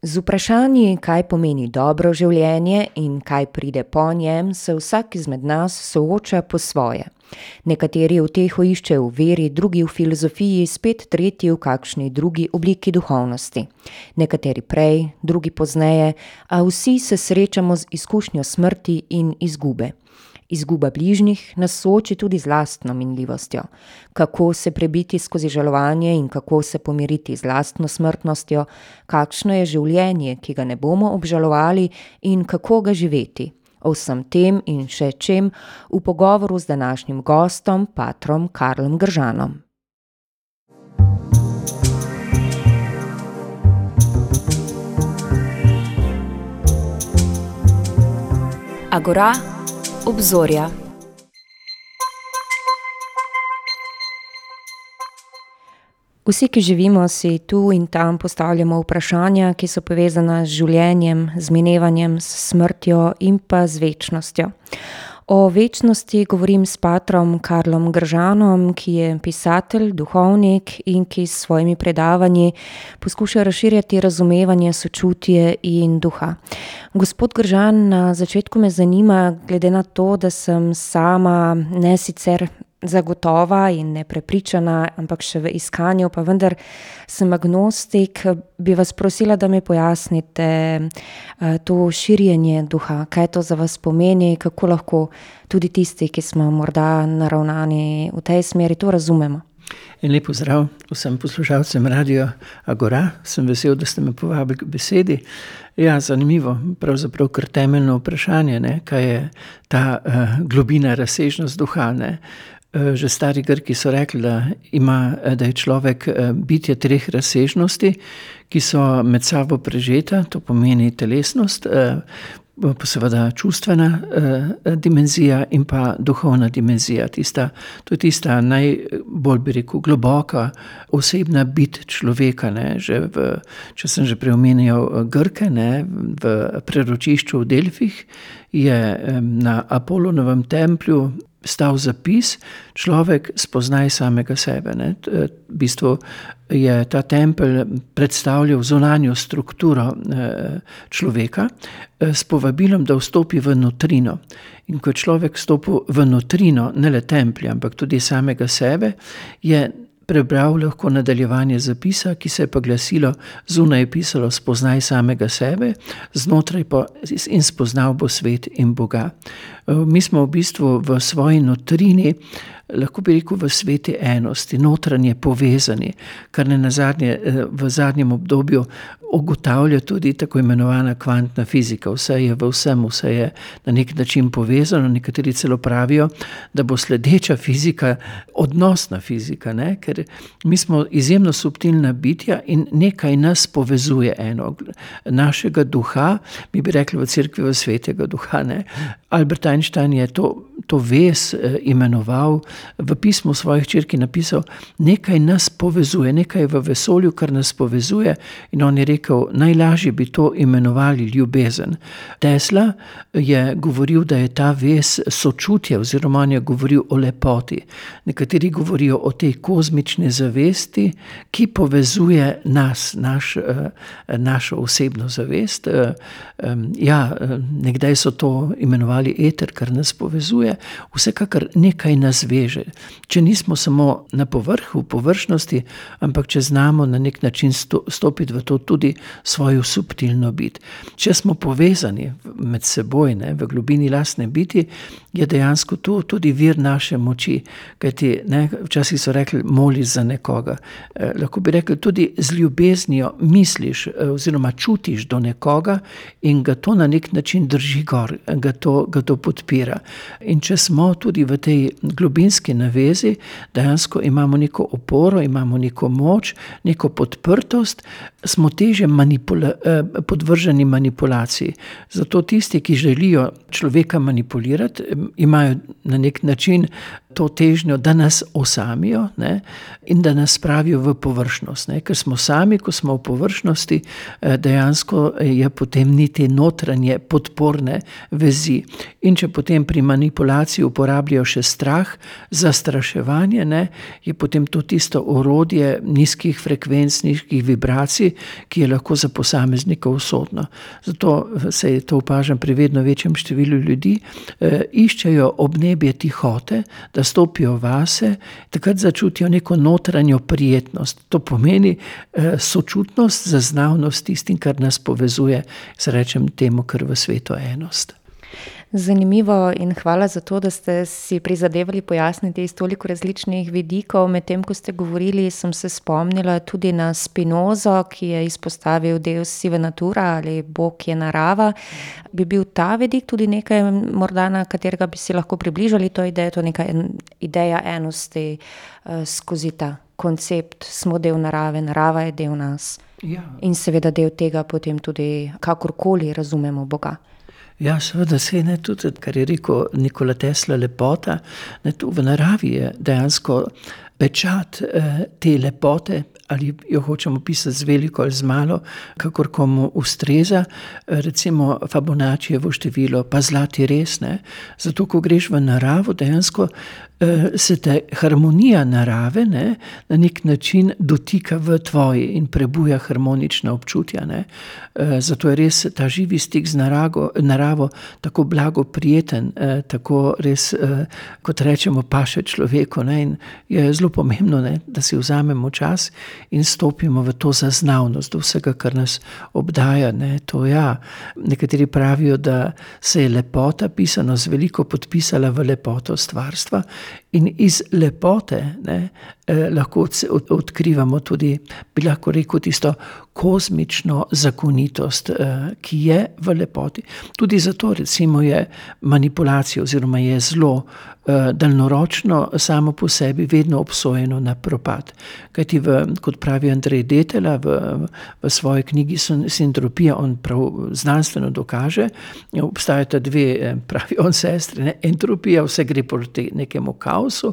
Z vprašanji, kaj pomeni dobro življenje in kaj pride po njem, se vsak izmed nas sooča po svoje. Nekateri uteho iščejo v veri, drugi v filozofiji, spet tretji v kakšni drugi obliki duhovnosti. Nekateri prej, drugi pozneje, a vsi se srečamo z izkušnjo smrti in izgube. Izguba bližnjih nas sooči tudi z lastno minljivostjo. Kako se prebiti skozi žalovanje in kako se pomiriti z lastno smrtnostjo, kakšno je življenje, ki ga ne bomo obžalovali in kako ga živeti. O vsem tem in še čem v pogovoru z današnjim gostom, patrom Karlom Gržanom. Agora, obzorja. Vsi, ki živimo, si tu in tam postavljamo vprašanja, ki so povezana z življenjem, z minevanjem, s smrtjo in pa z večnostjo. O večnosti govorim s patrom Karlom Gržanom, ki je pisatelj, duhovnik in ki s svojimi predavanji poskuša razširjati razumevanje, sočutje in duha. Gospod Gržan, na začetku me zanima, glede na to, da sem sama ne sicer zagotova in neprepričana, ampak še v iskanju, pa vendar sem agnostik, bi vas prosila, da mi pojasnite to širjenje duha, kaj to za vas pomeni, kako lahko tudi tisti, ki smo morda naravnani v tej smeri, to razumemo. In lep pozdrav vsem poslušalcem Radia Agora. Sem vesel, da ste me povabili k besedi. Ja, zanimivo, pravzaprav kar temeljno vprašanje, kaj je ta globina, razsežnost duha, Že stari Grki so rekli, da je človek bitje treh razsežnosti, ki so med sabo prežeta, to pomeni telesnost, pa seveda čustvena dimenzija in pa duhovna dimenzija. To je tista najbolj, bi rekel, globoka osebna bit človeka. Če sem že preomenjal Grke, v preročišču v Delfih je na Apolonovem templju stal zapis: človek spoznaj samega sebe. V bistvu je ta tempelj predstavljal zunanjo strukturo človeka s povabilom, da vstopi v notrino. In ko je človek vstopil v notrino, ne le templja, ampak tudi samega sebe, je prebral lahko nadaljevanje zapisa, ki se je pa glasilo: zunaj je pisalo spoznaj samega sebe, znotraj pa in spoznal bo svet in Boga. Mi smo v bistvu v svoji notrini, lahko bi rekel v sveti enosti, notranje povezani, kar v zadnjem obdobju ugotavlja tudi tako imenovana kvantna fizika. Vse je v vsem, vse je na nek način povezano. Nekateri celo pravijo, da bo sledeča fizika odnosna fizika, ker mi smo izjemno subtilna bitja in nekaj nas povezuje eno. Našega duha, mi bi rekli v cerkvi v svetega duha. Albert Einstein je to vez imenoval, v pismu svojih hčerki napisal: nekaj nas povezuje, nekaj v vesolju, kar nas povezuje, in on je rekel, najlažje bi to imenovali ljubezen. Tesla je govoril, da je ta vez sočutje, oziroma on je govoril o lepoti. Nekateri govorijo o tej kozmični zavesti, ki povezuje nas, našo osebno zavest. Nekdaj so to imenovali eter, kar nas povezuje. Vsekakor nekaj nas veže. Če nismo samo na povrhu, površnosti, ampak če znamo na nek način stopiti v to tudi svojo subtilno bit. Če smo povezani med seboj, v globini lastne biti, je dejansko to tudi vir naše moči. Kajti, včasih so rekli, moliš za nekoga. Lahko bi rekli, tudi z ljubeznijo misliš oziroma čutiš do nekoga in ga to na nek način drži gor, ga to podpira. In če smo tudi v tej globinski navezi, dejansko imamo neko oporo, imamo neko moč, neko podprtost, smo težje podvrženi manipulaciji. Zato tisti, ki želijo človeka manipulirati, imajo na nek način to težnjo, da nas osamijo, ne, in da nas spravijo v površnost, ne. Ker smo sami, ko smo v površnosti, dejansko je potem ni te notranje podporne vezi. In če potem pri manipulaciji uporabljajo še strah, zastraševanje, ne, je potem to tisto orodje nizkih frekvenc, nizkih vibracij, ki je lahko za posameznika usodno. Zato se to opažam pri vedno večjem številu ljudi, iščejo obnebje tihote, da stopijo vase, takrat začutijo neko notranjo prijetnost. To pomeni sočutnost, zaznavnost tistim, kar nas povezuje, rečem temu, kar v svetu enost. Zanimivo in hvala za to, da ste si prizadevali pojasniti iz toliko različnih vidikov. Medtem, ko ste govorili, sem se spomnila tudi na Spinozo, ki je izpostavil Deus sive natura ali Bog je narava. Bi bil ta vidik tudi nekaj, morda na katerega bi si lahko približali to idejo, to neka ideja enosti skozi ta koncept, smo del narave, narava je del nas. Ja. In seveda del tega potem tudi kakorkoli razumemo Boga. Ja, seveda se ne, tudi, kar je rekel Nikola Tesla, lepota, ne, tu v naravi je dejansko pečat te lepote, ali jo hočemo pisati z veliko ali z malo, kakor komu ustreza, recimo Fibonaccijevo število, pa zlati res, ne. Zato, ko greš v naravo, dejansko se te harmonija narave, ne, na nek način dotika v tvoji in prebuja harmonična občutja, ne. Zato je res ta živi stik z naravo tako blago prijeten, tako res, kot rečemo, paše človeku, ne, in je zelo pomembno, ne, da si vzamemo čas in stopimo v to zaznavnost do vsega, kar nas obdaja, ne. To ja, nekateri pravijo, da se je lepota, pisano z veliko, podpisala v lepoto stvarstva. In iz lepote, ne, lahko odkrivamo tudi, bi lahko rekel, tisto kozmično zakonitost, ki je v lepoti. Tudi zato recimo je manipulacija oziroma je zlo daljnoročno samo po sebi vedno obsojeno na propad. Kajti kot pravi Andrej Detela v svoji knjigi Sintropija, on prav znanstveno dokaže, obstajata dve, pravi on, sestri, ne, entropija, vse gre proti nekemu kaosu,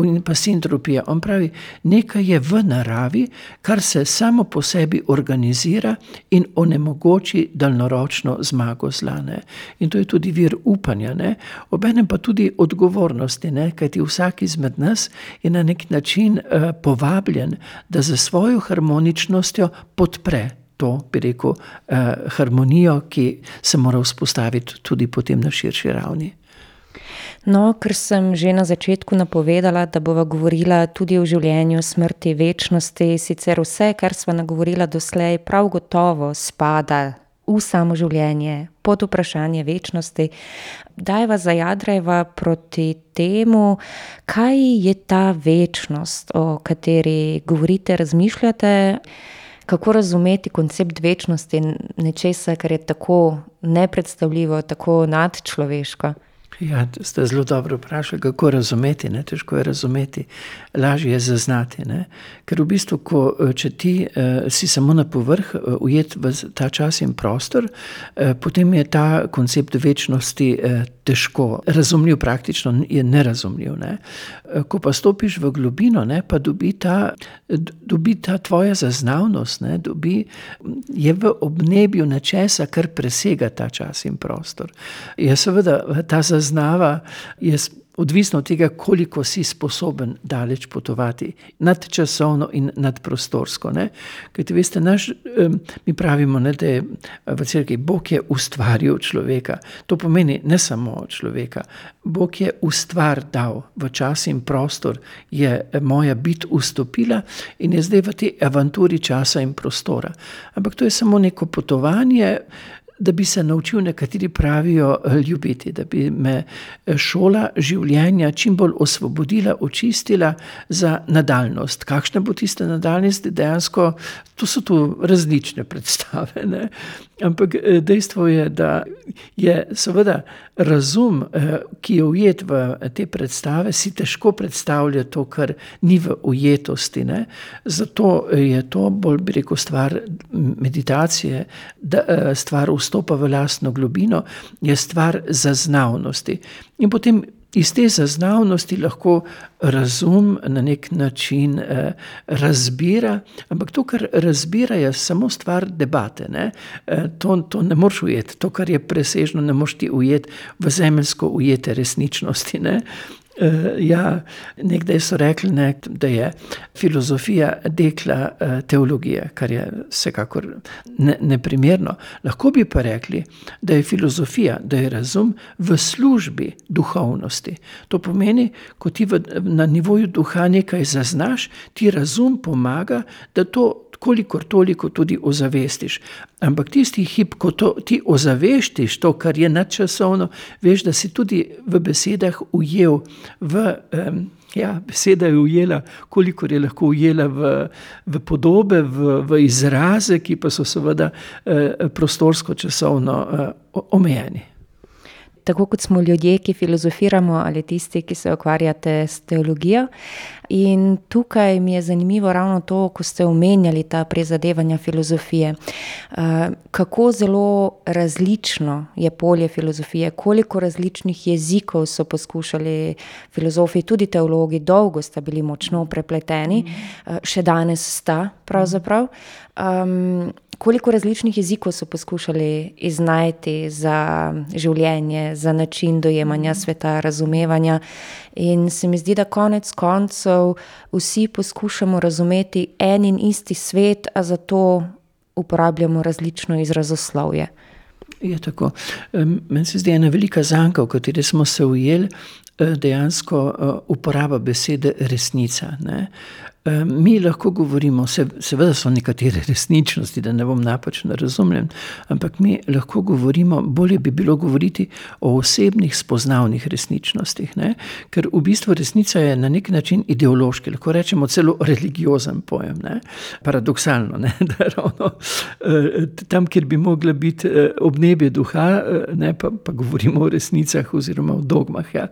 in pa sintropija. On pravi, nekaj je v naravi, kar se samo po sebi organizira in onemogoči daljnoročno zmago zla, ne. In to je tudi vir upanja, ne. Obenem pa tudi odgovornosti, ne, kajti vsak izmed nas je na nek način povabljen, da za svojo harmoničnostjo podpre to, bi rekel, harmonijo, ki se mora vzpostaviti tudi potem na širši ravni. No, ker sem že na začetku napovedala, da bova govorila tudi o življenju, smrti, večnosti, sicer vse, kar sva nagovorila doslej, prav gotovo spada v samo življenje, pod vprašanje večnosti. Dajva zajadrajva proti temu, kaj je ta večnost, o kateri govorite, razmišljate, kako razumeti koncept večnosti, nečesa, kar je tako nepredstavljivo, tako nadčloveško. Ja, ste zelo dobro vprašali, kako razumeti, ne, težko je razumeti, lažje je zaznati, ne. Ker v bistvu, če ti si samo na povrh ujet v ta čas in prostor, potem je ta koncept večnosti težko razumljiv, praktično je nerazumljiv, ne. Ko pa stopiš v globino, ne, pa dobi ta tvoja zaznavnost, ne, je v obnebju nečesa, kar presega ta čas in prostor. Je seveda ta zaznava je odvisno od tega, koliko si sposoben daleč potovati, nadčasovno in nadprostorsko, ne. Kajti veste, mi pravimo, ne, da je v cerkvi Bog je ustvaril človeka. To pomeni ne samo človeka. Bog je ustvar dal v čas in prostor, je moja bit vstopila in je zdaj v tej avanturi časa in prostora. Ampak to je samo neko potovanje, da bi se naučil, nekateri pravijo, ljubiti, da bi me šola življenja čim bolj osvobodila, očistila za nadaljnost. Kakšna bo tista nadaljnost? Dejansko, to so tu različne predstave, ne. Ampak dejstvo je, da je seveda razum, ki je ujet v te predstave, si težko predstavlja to, kar ni v ujetosti, ne. Zato je to bolj, bi rekel, stvar meditacije, stvar vstopa v lastno globino, je stvar zaznavnosti. In potem iz te zaznavnosti lahko razum na nek način razbira, ampak to, kar razbira, je samo stvar debate. Ne? To ne moreš ujeti, to, kar je presežno, ne moreš ti ujeti v zemeljsko ujete resničnosti. Ne? Nekdaj so rekli, ne, da je filozofija dekla teologije, kar je vsekakor neprimerno. Lahko bi pa rekli, da je filozofija, da je razum v službi duhovnosti. To pomeni, ko ti na nivoju duha nekaj zaznaš, ti razum pomaga, da to kolikor toliko tudi ozavestiš. Ampak tisti hip, ko ti ozavestiš to, kar je nadčasovno, veš, da si tudi v besedah ujel beseda je ujela, kolikor je lahko ujela v podobe, v izraze, ki pa so seveda prostorsko-časovno omejeni. Tako kot smo ljudje, ki filozofiramo, ali tisti, ki se ukvarjate s teologijo. In tukaj mi je zanimivo ravno to, ko ste omenjali ta prizadevanja filozofije. Kako zelo različno je polje filozofije, koliko različnih jezikov so poskušali filozofi, tudi teologi, dolgo sta bili močno prepleteni, še danes sta pravzaprav. Koliko različnih jezikov so poskušali iznajti za življenje, za način dojemanja sveta, razumevanja. In se mi zdi, da konec koncev vsi poskušamo razumeti en in isti svet, a zato uporabljamo različno izrazoslovje. Je tako. Meni se zdi ena velika zanka, v kateri smo se ujeli, dejansko uporaba besede resnica. Ne? Mi lahko govorimo, seveda so nekatere resničnosti, da ne bom napačno razumljen, ampak mi lahko govorimo, bolje bi bilo govoriti o osebnih spoznavnih resničnostih, ne? Ker v bistvu resnica je na nek način ideološki, lahko rečemo celo religiozen pojem, ne? Paradoksalno, ne? Da ravno tam, kjer bi mogla biti obnebje duha, ne? Pa govorimo o resnicah oziroma o dogmah. Ja?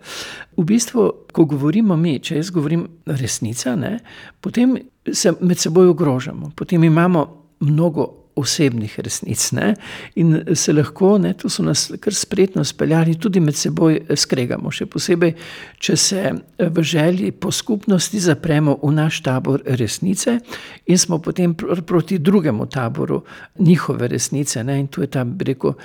V bistvu, ko govorimo mi, če jaz govorim resnica, ne? Potem se med seboj ogrožamo, potem imamo mnogo osebnih resnic, ne? In se lahko, ne, tu so nas kar spretno speljali, tudi med seboj skregamo, še posebej, če se v želji po skupnosti zapremo v naš tabor resnice in smo potem proti drugemu taboru njihove resnice, ne? In tu je ta, bi rekel,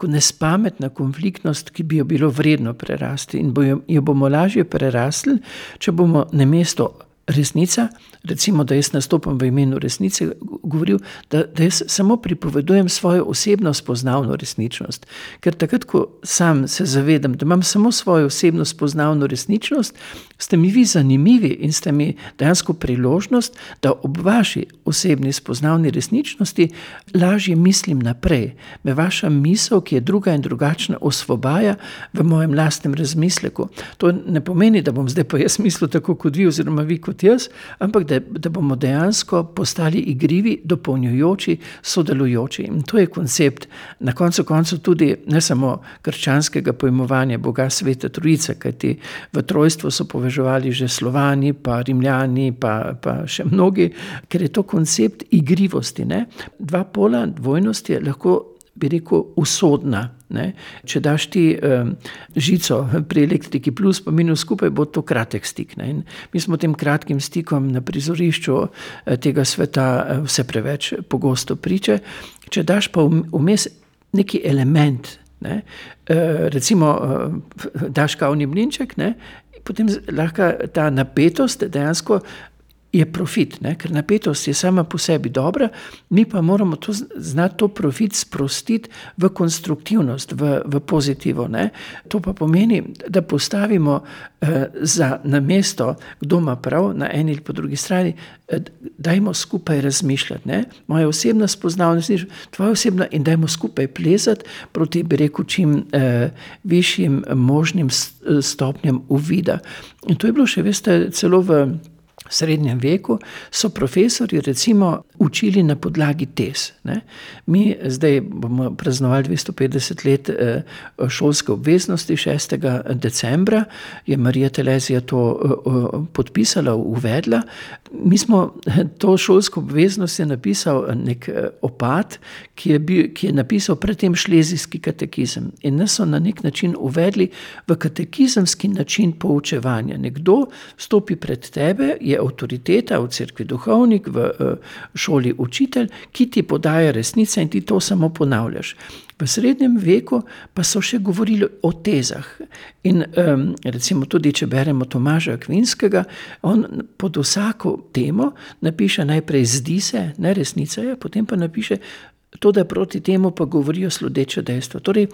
nespametna konfliktnost, ki bi jo bilo vredno prerasti in jo bomo lažje prerasli, če bomo namesto resnica, recimo, da jaz nastopam v imenu resnice, govoril, da jaz samo pripovedujem svojo osebno spoznavno resničnost. Ker takrat, ko sam se zavedam, da imam samo svojo osebno spoznavno resničnost, ste mi vi zanimivi in ste mi dejansko priložnost, da ob vaši osebni spoznavni resničnosti lažje mislim naprej. Me vaša misel, ki je druga in drugačna, osvobaja v mojem lastnem razmisleku. To ne pomeni, da bom zdaj pa jaz mislil tako kot vi oziroma vi kot jaz, ampak da bomo dejansko postali igrivi, dopolnjujoči, sodelujoči. In to je koncept na koncu tudi ne samo krščanskega pojmovanja Boga Svete Trojice, kajti v trojstvo so povezovali že Slovani, pa Rimljani, pa še mnogi, ker je to koncept igrivosti. Ne? Dva pola dvojnosti je lahko, bi rekel, usodna. Ne? Če daš ti žico pri elektriki plus pa minus skupaj, bo to kratek stik. Ne? In mi smo tem kratkim stikom na prizorišču tega sveta vse preveč pogosto priče. Če daš pa vmes neki element, ne? Recimo daš kavni mlinček, ne? Potem lahko ta napetost dejansko je profit, ne? Ker napetost je sama po sebi dobra, mi pa moramo znati to profit sprostiti v konstruktivnost, v pozitivo. Ne? To pa pomeni, da postavimo za namesto, kdo ima prav, na eni ali po drugi strani, dajmo skupaj razmišljati. Ne? Moja osebna spoznavnost, tvoja osebna, in dajmo skupaj plezati proti, bi rekel, čim višjim možnim stopnjam uvida. In to je bilo še, veste, celo v srednjem veku so profesorji recimo učili na podlagi tez. Ne. Mi zdaj bomo praznovali 250 let šolske obveznosti, 6. decembra je Marija Terezija to podpisala, uvedla. Mi smo to šolsko obveznost je napisal nek opat, ki je napisal predtem šlezijski katekizem. In nas so na nek način uvedli v katekizemski način poučevanja. Nekdo stopi pred tebe, je avtoriteta v cerkvi duhovnik, v šoli učitelj, ki ti podaja resnice in ti to samo ponavljaš. V srednjem veku pa so še govorili o tezah. In recimo tudi, če beremo Tomaža Akvinskega, on pod vsako temo napiše najprej zdi se, ne resnica je, potem pa napiše to, da proti temu pa govorijo sledeče dejstva. Torej,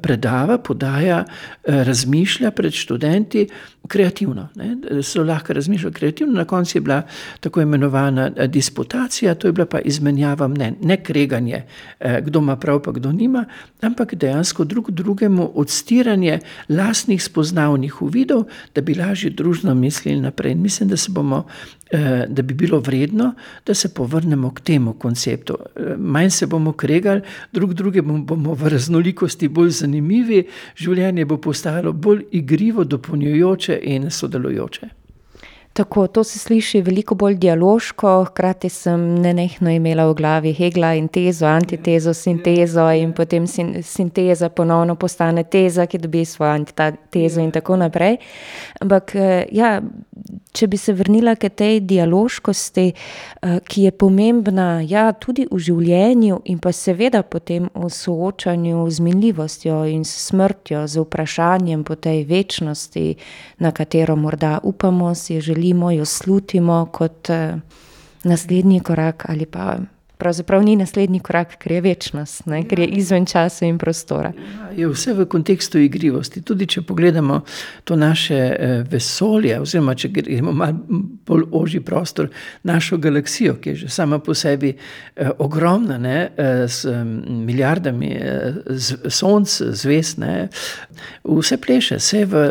predava, podaja, razmišlja pred študenti kreativno. Ne? So lahko razmišljali kreativno, na koncu je bila tako imenovana disputacija, to je bila pa izmenjava mnenj, ne kreganje, kdo ima prav pa kdo nima, ampak dejansko drugemu odstiranje lastnih spoznavnih uvidov, da bi lažje družno mislili naprej. In mislim, da bi bilo vredno, da se povrnemo k temu konceptu. Manj se bomo kregali, drugemu bomo v raznolikosti bolj zanimivi, življenje bo postalo bolj igrivo, dopolnjujoče in sodelujoče. Tako, to se sliši veliko bolj dialoško, hkrati sem nenehno imela v glavi Hegla in tezo, antitezo, sintezo in potem sinteza ponovno postane teza, ki dobi svojo antitezo in tako naprej. Ampak ja, če bi se vrnila k tej dialoškosti, ki je pomembna tudi v življenju in pa seveda potem v soočanju z minljivostjo in s smrtjo, z vprašanjem po tej večnosti, na katero morda upamo, si želimo, jo slutimo kot naslednji korak ali pa pravzaprav ni naslednji korak, ker je večnost, ne? Ker je izven časa in prostora. Je vse v kontekstu igrivosti. Tudi če pogledamo to naše vesolje, oziroma če gremo malo bolj ožji prostor, našo galaksijo, ki je že sama po sebi ogromna, ne? S milijardami sonc, zvezd, ne? Vse pleše, vse v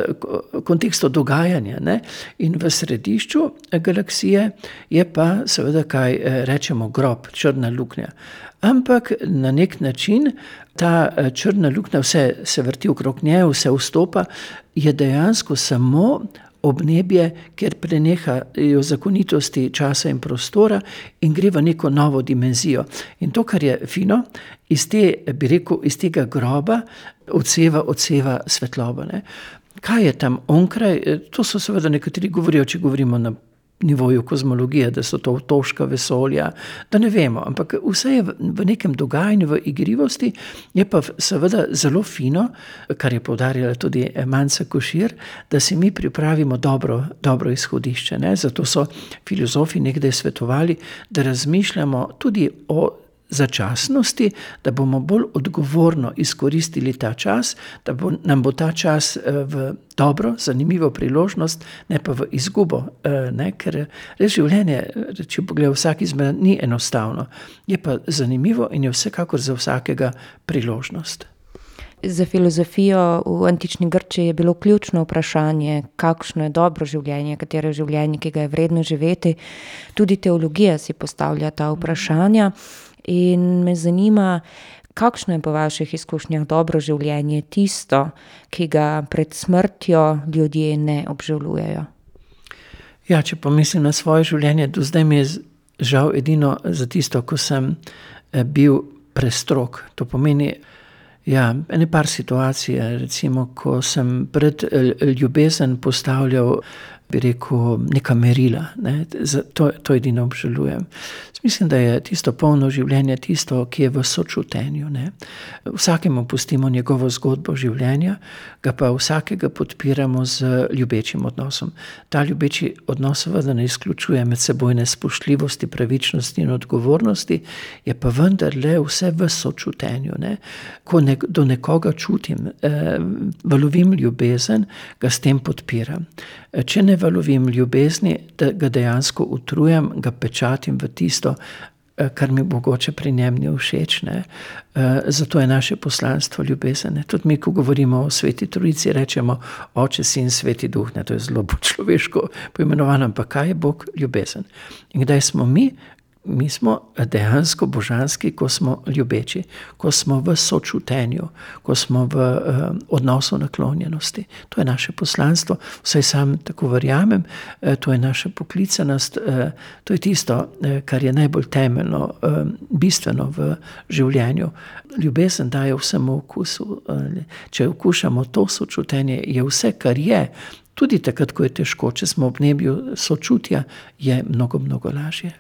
kontekstu dogajanja, ne? In v središču galaksije je pa seveda, kaj rečemo, grob, črna luknja. Ampak na nek način ta črna luknja, vse se vrti okrog nje, vse vstopa, je dejansko samo obnebje, kjer prenehajo zakonitosti časa in prostora in gre v neko novo dimenzijo. In to, kar je fino, iz tega groba odseva svetloba. Ne? Kaj je tam onkraj? To so seveda nekateri govorijo, če govorimo na nivoju kozmologije, da so to otoška vesolja, da ne vemo, ampak vse je v nekem dogajanju, v igrivosti, je pa seveda zelo fino, kar je poudarjala tudi Manca Košir, da si mi pripravimo dobro izhodišče. Ne? Zato so filozofi nekdaj svetovali, da razmišljamo tudi o začasnosti, da bomo bolj odgovorno izkoristili ta čas, da nam bo ta čas v dobro, zanimivo priložnost, ne pa v izgubo. Ne? Ker res življenje, če pogledamo vsak izmed, ni enostavno. Je pa zanimivo in je vsekakor za vsakega priložnost. Za filozofijo v antični Grčiji je bilo ključno vprašanje, kakšno je dobro življenje, katero je življenje, ki ga je vredno živeti. Tudi teologija si postavlja ta vprašanja. In me zanima, kakšno je po vaših izkušnjah dobro življenje, tisto, ki ga pred smrtjo ljudje ne obžalujejo? Ja, če pomislim na svoje življenje, do zdaj mi je žal edino za tisto, ko sem bil prestrog. To pomeni, ene par situacij, recimo, ko sem pred ljubezen postavljal, bi rekel, neka merila. Ne? To edino obžalujem. Mislim, da je tisto polno življenje tisto, ki je v sočutenju. Ne? Vsakemu pustimo njegovo zgodbo življenja, ga pa vsakega podpiramo z ljubečim odnosom. Ta ljubeči odnos seveda ne izključuje medsebojne spoštljivosti, pravičnosti in odgovornosti, je pa vendarle vse v sočutenju. Ne? Ko do nekoga čutim, valovim ljubezen, ga s tem podpiram. Če ne valovim ljubezni, da ga dejansko utrujam, ga pečatim v tisto, kar mi mogoče pri njem ni všeč, ne. Zato je naše poslanstvo ljubezen, ne. Tudi mi, ko govorimo o Sveti Trojici, rečemo Oče, Sin, Sveti Duh, ne. To je zelo človeško poimenovano, ampak kaj je Bog? Ljubezen. In kdaj smo mi? Mi smo dejansko božanski, ko smo ljubeči, ko smo v sočutenju, ko smo v odnosu naklonjenosti. To je naše poslanstvo, vsaj sam tako verjamem, to je naša poklicanost, to je tisto, kar je najbolj temeljno, bistveno v življenju. Ljubezen daje vsemu okusu. Če okušamo to sočutenje, je vse, kar je, tudi takrat, ko je težko, če smo ob nebju sočutja, je mnogo, mnogo lažje.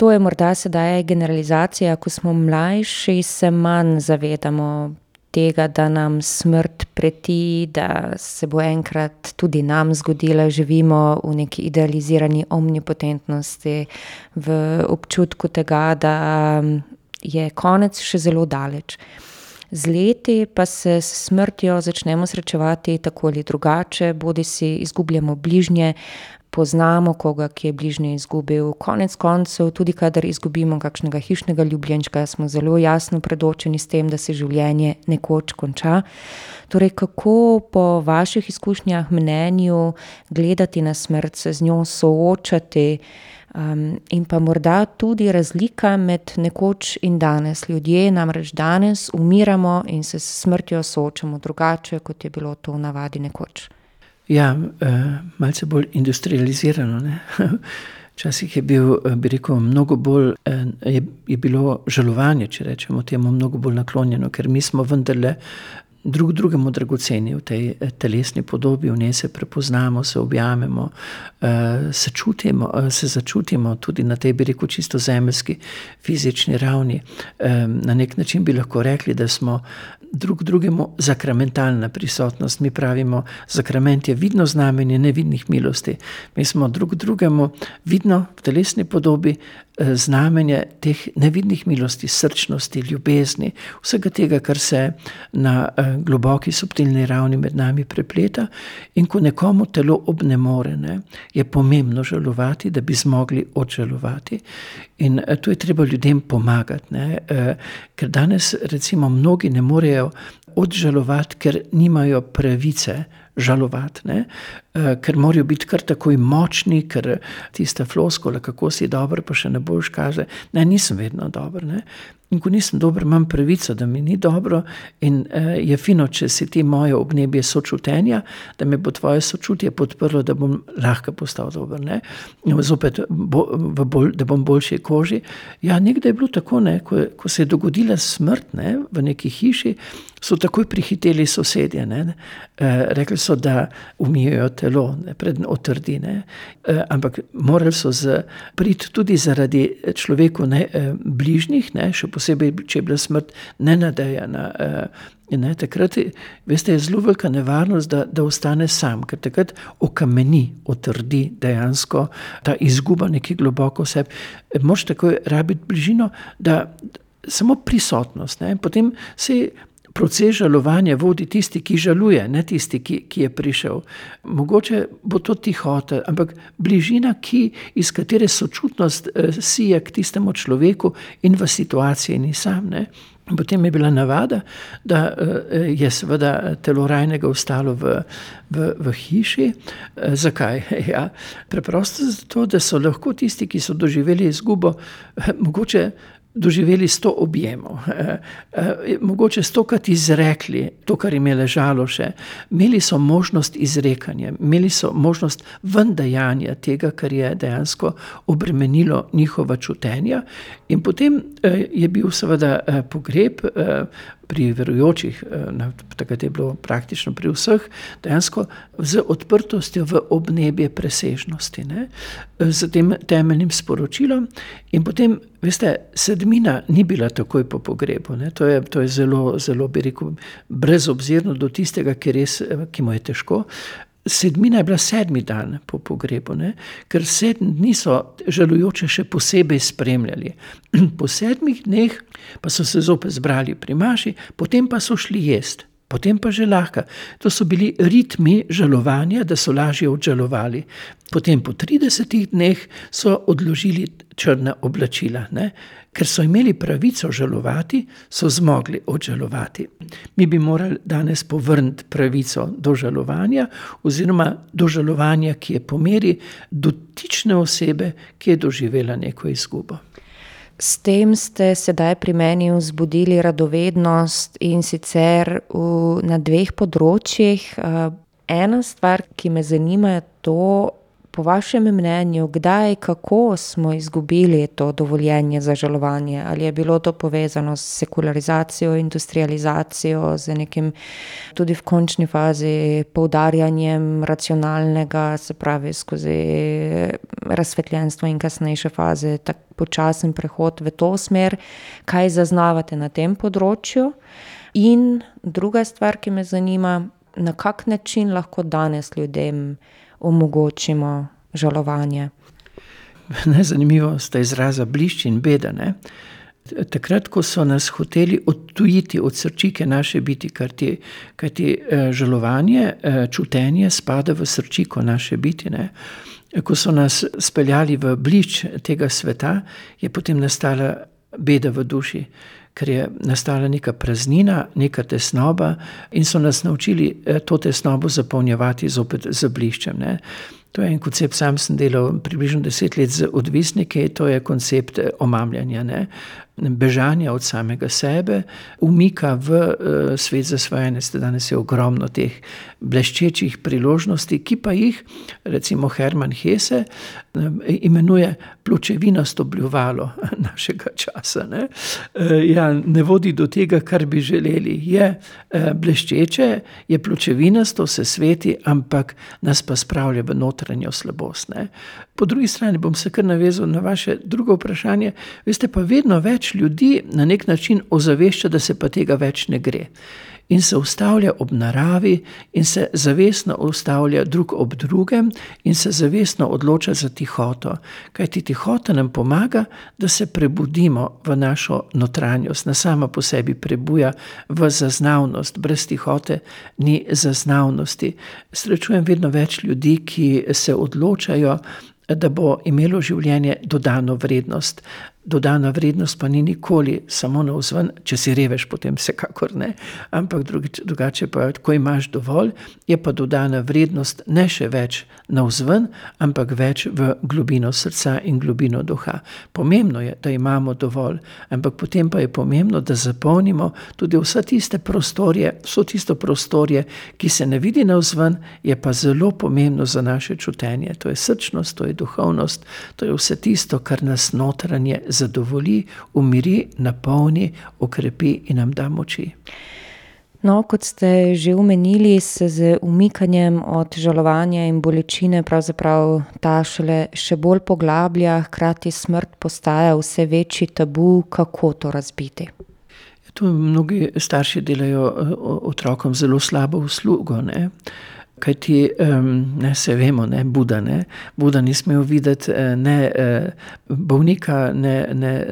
To je morda sedaj generalizacija, ko smo mlajši, se manj zavedamo tega, da nam smrt preti, da se bo enkrat tudi nam zgodila, živimo v neki idealizirani omnipotentnosti, v občutku tega, da je konec še zelo daleč. Z leti pa se s smrtjo začnemo srečevati tako ali drugače, bodisi izgubljamo bližnje, poznamo koga, ki je bližnje izgubil. Konec koncev, tudi kadar izgubimo kakšnega hišnega ljubljenčka, smo zelo jasno predočeni s tem, da se življenje nekoč konča. Torej, kako po vaših izkušnjah, mnenju gledati na smrt, se z njo soočati, in pa morda tudi razlika med nekoč in danes. Ljudje namreč danes umiramo in se s smrtjo soočamo drugače, kot je bilo to v navadi nekoč. Ja, malce bolj industrializirano, ne. Včasih je bil, bi rekel, mnogo bolj, je bilo žalovanje, če rečemo temu, mnogo bolj naklonjeno, ker mi smo vendarle drugemu dragoceni v tej telesni podobi, v njej se prepoznamo, se objamemo, se začutimo tudi na tej, bi rekel, čisto zemeljski fizični ravni. Na nek način bi lahko rekli, da smo drugemu sakramentalna prisotnost. Mi pravimo, sakrament je vidno znamenje nevidnih milosti. Mi smo drugemu vidno v telesni podobi znamenje teh nevidnih milosti, srčnosti, ljubezni, vsega tega, kar se na globoki, subtilni ravni med nami prepleta. In ko nekomu telo obnemore, ne, je pomembno žalovati, da bi zmogli odžalovati. In tu je treba ljudem pomagati, ne, ker danes recimo mnogi ne morejo odžalovati, ker nimajo pravice žalovati, ne, ker morajo biti kar takoj močni, ker tista floskula, kako si dober, pa še ne boš, kaže, ne, nisem vedno dober, ne. In ko nisem dober, imam pravico, da mi ni dobro, in je fino, če si ti moje obnebje sočutenja, da me bo tvoje sočutje podprlo, da bom lahko postal dober, ne. Zopet, da bom boljši koži. Ja, nekdaj je bilo tako, ne, ko se je dogodila smrt, ne, v neki hiši, so takoj prihiteli sosedje, ne. Rekli so, da umijejo telo, ne, preden otrdi, ne. Ampak morali so priti tudi zaradi človeku bližnjih, ne, še posebej, če je bila smrt nenadejana. Ne, takrat, veste, je zelo velika nevarnost, da ostane sam, ker takrat okameni, otrdi dejansko ta izguba nekaj globoko v sebi. Moraš takoj rabiti bližino, da samo prisotnost, ne, potem se proces žalovanja vodi tisti, ki žaluje, ne tisti, ki je prišel. Mogoče bo to tihota, ampak bližina, iz katere sočutnost sije k tistemu človeku in v situaciji ni sam, ne. Potem je bila navada, da je seveda telo rajnega ostalo v hiši. Zakaj? Ja, preprosto zato, da so lahko tisti, ki so doživeli izgubo, mogoče doživeli 100 objemov, mogoče 100-krat izrekli to, kar jim je ležalo še. Imeli so možnost izrekanja, imeli so možnost vendajanja tega, kar je dejansko obremenilo njihova čutenja. In potem je bil seveda pogreb pri verujočih, takrat je bilo praktično pri vseh, dejansko z odprtostjo v obnebje presežnosti, ne, z tem temeljnim sporočilom. In potem, veste, sedmina ni bila takoj po pogrebu, ne, to je zelo, zelo, bi rekel, brezobzirno do tistega, ki mu je težko. Sedmina je bila 7. dan po pogrebu, ne, ker 7 dni so žalujoče še posebej spremljali. Po 7 dneh pa so se zopet zbrali pri maši, potem pa so šli jesti. potem pa že lahko. To so bili ritmi žalovanja, da so lažje odžalovali. Potem po 30 dneh so odložili črna oblačila, ne? Ker so imeli pravico žalovati, so zmogli odžalovati. Mi bi morali danes povrniti pravico do žalovanja oziroma do žalovanja, ki je po meri dotične osebe, ki je doživela neko izgubo. S tem ste sedaj pri meni vzbudili radovednost in sicer na 2 področjih. Ena stvar, ki me zanima, je to, po vašem mnenju, kdaj, kako smo izgubili to dovoljenje za žalovanje? Ali je bilo to povezano s sekularizacijo, industrializacijo, z nekim tudi v končni fazi poudarjanjem racionalnega, se pravi skozi razsvetljenstvo in kasnejše faze, tak počasen prehod v to smer? Kaj zaznavate na tem področju? In druga stvar, ki me zanima, na kak način lahko danes ljudem omogočimo žalovanje? Zanimivo sta izraza blišč in beda, ne? Takrat, ko so nas hoteli odtujiti od srčike naše biti, kajti žalovanje, čutenje spada v srčiko naše biti, ne? Ko so nas speljali v blišč tega sveta, je potem nastala beda v duši, ker je nastala neka praznina, neka tesnoba in so nas naučili to tesnobo zapolnjevati zopet z bliščem, ne. To je en koncept, sam sem delal približno 10 let z odvisniki, to je koncept omamljanja, ne. Bežanja od samega sebe, umika v svet zasvojenja. Danes je ogromno teh bleščečih priložnosti, ki pa jih, recimo Hermann Hesse, imenuje pločevinasto bljuvalo našega časa, ne. Ja, ne vodi do tega, kar bi želeli. Je bleščeče, je pločevinasto, se sveti, ampak nas pa spravlja v notranjo slabost, ne. Po drugi strani bom se kar navezal na vaše drugo vprašanje. Veste, pa vedno več ljudi na nek način ozavešča, da se pa tega več ne gre. In se ustavlja ob naravi in se zavestno ustavlja drug ob drugem in se zavestno odloča za tihoto. Kajti tihota nam pomaga, da se prebudimo v našo notranjost. Na sama po sebi prebuja v zaznavnost. Brez tihote ni zaznavnosti. Srečujem vedno več ljudi, ki se odločajo, da bo imelo življenje dodano vrednost. Dodana vrednost pa ni nikoli samo navzven, če si revež, potem vsekakor ne, ampak drugače pa, ko imaš dovolj, je pa dodana vrednost ne še več navzven, ampak več v globino srca in globino duha. Pomembno je, da imamo dovolj, ampak potem pa je pomembno, da zapolnimo tudi vse tiste prostorje, vso tisto prostorje, ki se ne vidi navzven, je pa zelo pomembno za naše čutenje. To je srčnost, to je duhovnost, to je vse tisto, kar nas notranje zadovolji, umiri, napolni, okrepi in nam da moči. No, kot ste že omenili, se z umikanjem od žalovanja in bolečine pravzaprav ta še bolj poglablja, hkrati smrt postaja vse večji tabu. Kako to razbiti? Tu mnogi starši delajo otrokom zelo slabo uslugo, ne. Kajti, se vemo, ne, Buda ni smel videti ne bolnika, ne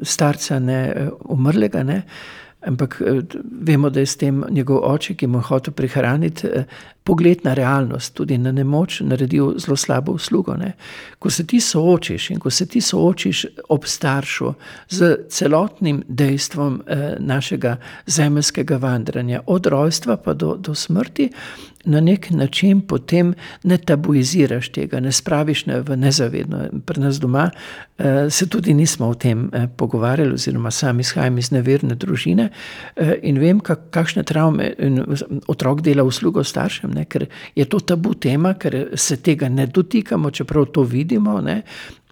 starca, ne umrlega, ne, ampak vemo, da je s tem njegov oče, ki mu je hotel prihraniti, pogled na realnost, tudi na nemoč, naredil zelo slabo uslugo, ne. Ko se ti soočiš ob staršu z celotnim dejstvom našega zemeljskega vandranja, od rojstva pa do smrti, na nek način potem ne tabuiziraš tega, ne spraviš v nezavedno. Pri nas doma se tudi nismo o tem pogovarjali, oziroma sam izhajam iz neverne družine in vem, kakšne travme otrok dela uslugo staršem, ne, ker je to tabu tema, ker se tega ne dotikamo, čeprav to vidimo, ne.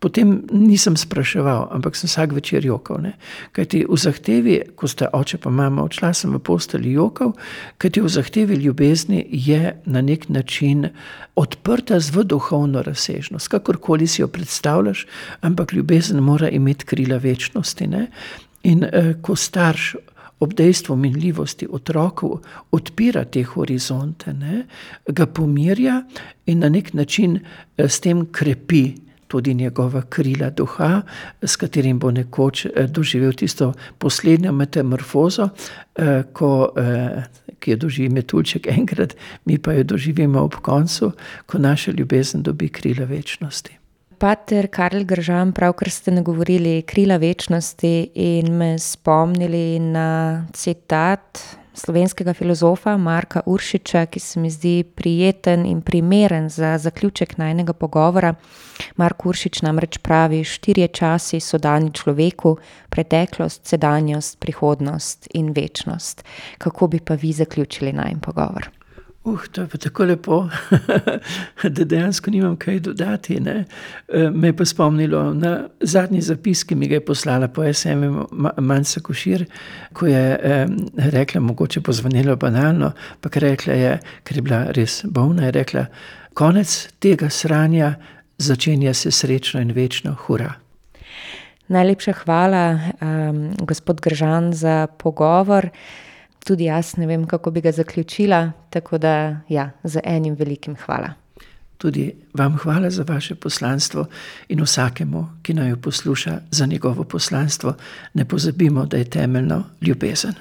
Potem nisem spraševal, ampak sem vsak večer jokal, ne. Kajti v zahtevi, ko sta oče pa mama odšla, sem v postelji jokal, kajti v zahtevi ljubezni je na nek način odprta v duhovno razsežnost. Kakorkoli si jo predstavljaš, ampak ljubezen mora imeti krila večnosti, ne. In ko starš ob dejstvu minljivosti otroku odpira te horizonte, ne, ga pomirja in na nek način s tem krepi tudi njegova krila duha, s katerim bo nekoč doživel tisto poslednjo metamorfozo, ki jo doživi Metuljček enkrat, mi pa jo doživimo ob koncu, ko naša ljubezen dobi krila večnosti. Pater Karl Gržan, pravkar ste nagovorili krila večnosti in me spomnili na citat slovenskega filozofa Marka Uršiča, ki se mi zdi prijeten in primeren za zaključek najinega pogovora. Mark Uršič namreč pravi: 4 časi so dani človeku, preteklost, sedanjost, prihodnost in večnost. Kako bi pa vi zaključili najin pogovor? To je pa tako lepo, da dejansko nimam kaj dodati, ne. Me je pa spomnilo na zadnji zapis, ki mi ga je poslala po SMS-u Manca Košir, ko je rekla, mogoče pozvonilo banalno, pa rekla je, ker je bila res bolna, je rekla: konec tega sranja, začenja se srečno in večno, hura. Najlepša hvala, gospod Gržan, za pogovor. Tudi jaz ne vem, kako bi ga zaključila, tako da z enim velikim hvala. Tudi vam hvala za vaše poslanstvo in vsakemu, ki naj jo posluša, za njegovo poslanstvo. Ne pozabimo, da je temeljno ljubezen.